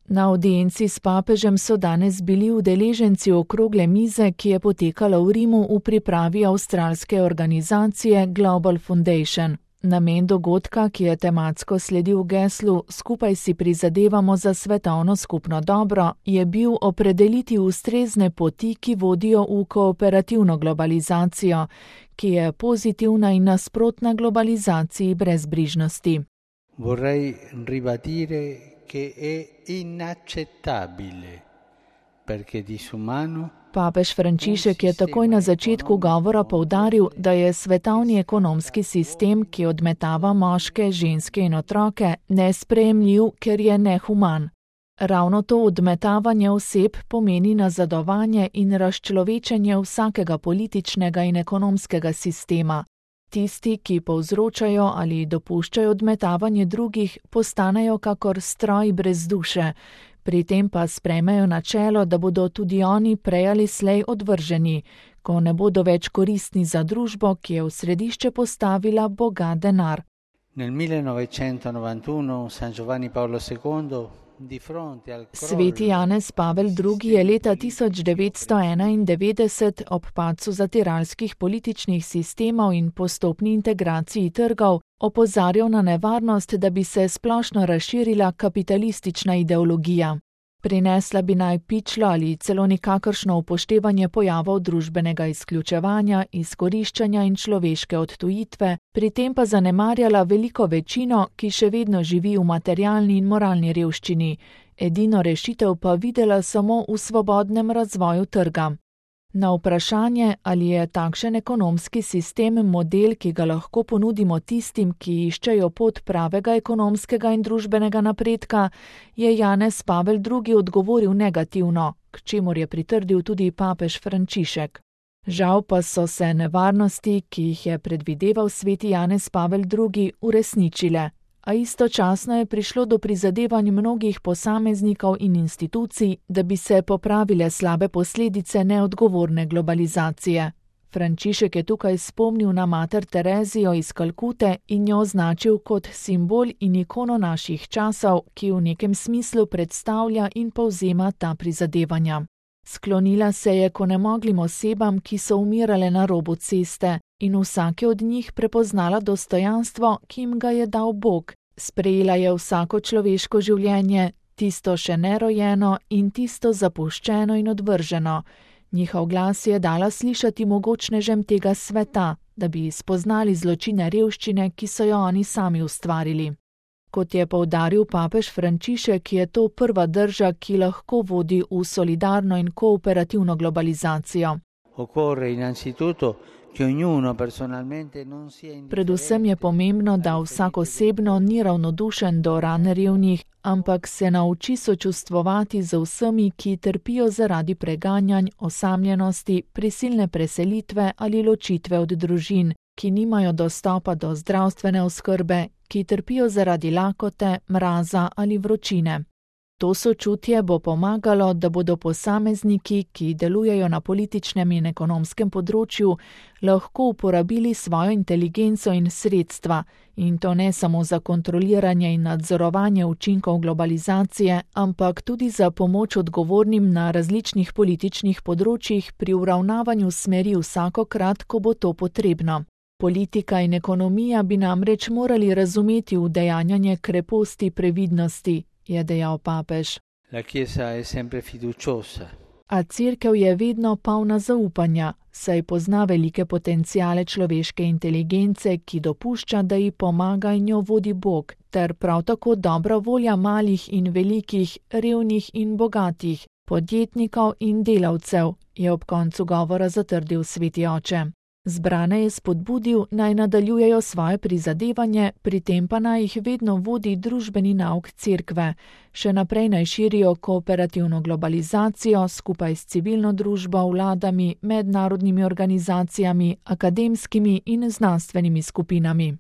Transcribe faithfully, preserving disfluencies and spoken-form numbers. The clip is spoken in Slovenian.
Na audienci s papežem so danes bili udeleženci okrogle mize, ki je potekala v Rimu v pripravi avstralske organizacije Global Foundation. Namen dogodka, ki je tematsko sledil geslu Skupaj si prizadevamo za svetovno skupno dobro, je bil opredeliti ustrezne poti, ki vodijo v kooperativno globalizacijo, ki je pozitivna in nasprotna globalizaciji brezbrižnosti. Vorrei ribadire che è inaccettabile perché disumano. Papež Frančišek je takoj na začetku govora poudaril, da je svetovni ekonomski sistem, ki odmetava moške, ženske in otroke, nesprejemljiv, ker je nehuman. Ravno to odmetavanje oseb pomeni nazadovanje in razčlovečenje vsakega političnega in ekonomskega sistema. Tisti, ki povzročajo ali dopuščajo odmetavanje drugih, postanejo kakor stroj brez duše. Pri tem pa sprejmejo načelo, da bodo tudi oni prej ali slej odvrženi, ko ne bodo več koristni za družbo, ki je v središče postavila boga denar. Nel millenovecentonovantuno San Giovanni Paolo secondo di fronte al Sveti Janez Pavel drugi je leta tisoč devetsto enaindevetdeset ob padcu zatiralskih političnih sistemov in postopni integraciji trgov opozarjal na nevarnost, da bi se splošno razširila kapitalistična ideologija. Prinesla bi naj pičlo ali celo nikakršno upoštevanje pojavov družbenega izključevanja, izkoriščanja in človeške odtujitve, pri tem pa zanemarjala veliko večino, ki še vedno živi v materialni in moralni revščini, edino rešitev pa videla samo v svobodnem razvoju trga. Na vprašanje, ali je takšen ekonomski sistem model, ki ga lahko ponudimo tistim, ki iščejo pot pravega ekonomskega in družbenega napredka, je Janez Pavel drugi odgovoril negativno, k čemur je pritrdil tudi papež Frančišek. Žal pa so se nevarnosti, ki jih je predvideval sveti Janez Pavel drugi, uresničile. A istočasno je prišlo do prizadevanj mnogih posameznikov in institucij, da bi se popravile slabe posledice neodgovorne globalizacije. Frančišek je tukaj spomnil na mater Terezijo iz Kalkute in jo označil kot simbol in ikono naših časov, ki v nekem smislu predstavlja in povzema ta prizadevanja. Sklonila se je k onemoglim osebam, ki so umirale na robu ceste, in vsake od njih prepoznala dostojanstvo, ki jim ga je dal Bog. Sprejela je vsako človeško življenje, tisto še nerojeno in tisto zapuščeno in odvrženo. Njihov glas je dala slišati mogočnežem tega sveta, da bi spoznali zločine revščine, ki so jo oni sami ustvarili. Kot je poudaril papež Frančišek, je to prva drža, ki lahko vodi v solidarno in kooperativno globalizacijo. Predvsem je pomembno, da vsak osebno ni ravnodušen do ran revnih, ampak se nauči sočustvovati z vsemi, ki trpijo zaradi preganjanj, osamljenosti, prisilne preselitve ali ločitve od družin, ki nimajo dostopa do zdravstvene oskrbe, ki trpijo zaradi lakote, mraza ali vročine. To sočutje bo pomagalo, da bodo posamezniki, ki delujejo na političnem in ekonomskem področju, lahko uporabili svojo inteligenco in sredstva, in to ne samo za kontroliranje in nadzorovanje učinkov globalizacije, ampak tudi za pomoč odgovornim na različnih političnih področjih pri uravnavanju smeri vsakokrat, ko bo to potrebno. Politika in ekonomija bi namreč morali razumeti udejanjanje kreposti previdnosti, je dejal papež. A cerkev je vedno polna zaupanja, saj pozna velike potenciale človeške inteligence, ki dopušča, da ji pomaga in jo vodi Bog, ter prav tako dobra volja malih in velikih, revnih in bogatih, podjetnikov in delavcev, je ob koncu govora zatrdil sveti oče. Zbrane je spodbudil, naj nadaljujejo svoje prizadevanje, pri tem pa naj jih vedno vodi družbeni nauk cerkve. Še naprej naj širijo kooperativno globalizacijo skupaj s civilno družbo, vladami, mednarodnimi organizacijami, akademskimi in znanstvenimi skupinami.